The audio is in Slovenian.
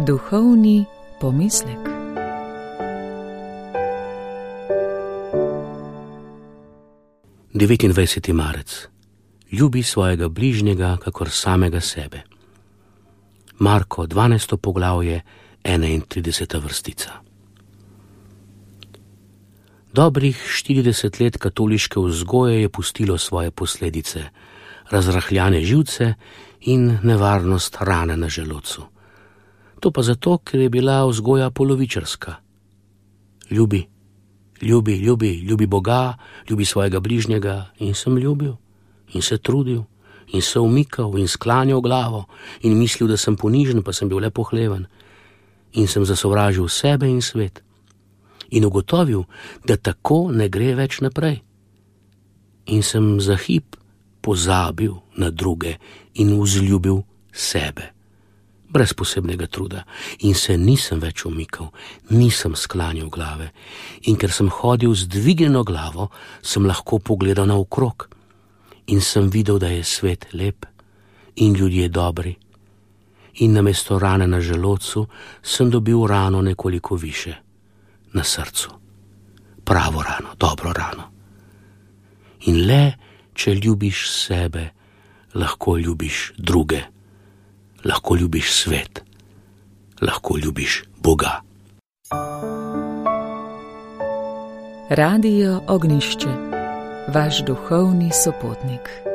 Duhovni pomislek. Devetindvajseti marec. Ljubi svojega bližnjega kakor samega sebe. Marko, 12. poglavje, 31. vrstica. Dobrih 40 let katoliške vzgoje je pustilo svoje posledice, razrahljane živce in nevarnost rane na želodcu. To pa zato, ker je bila vzgoja polovičarska. Ljubi Boga, ljubi svojega bližnjega, in sem ljubil, in se trudil, in se umikal, in sklanjal glavo, in mislil, da sem ponižen, pa sem bil le pohleven, in sem zasovražil sebe in svet. In ugotovil, da tako ne gre več naprej. In sem za hip pozabil na druge in vzljubil sebe. Brez posebnega truda, in se nisem več umikal, nisem sklanjal glave, in ker sem hodil z dvignjeno glavo, sem lahko pogledal naokrog in sem videl, da je svet lep in ljudje dobri, in namesto rane na želodcu sem dobil rano nekoliko više, na srcu, pravo rano, dobro rano. In le, če ljubiš sebe, lahko ljubiš druge. Lahko ljubiš svet, lahko ljubiš Boga. Radio Ognjišče, vaš duhovni sopotnik.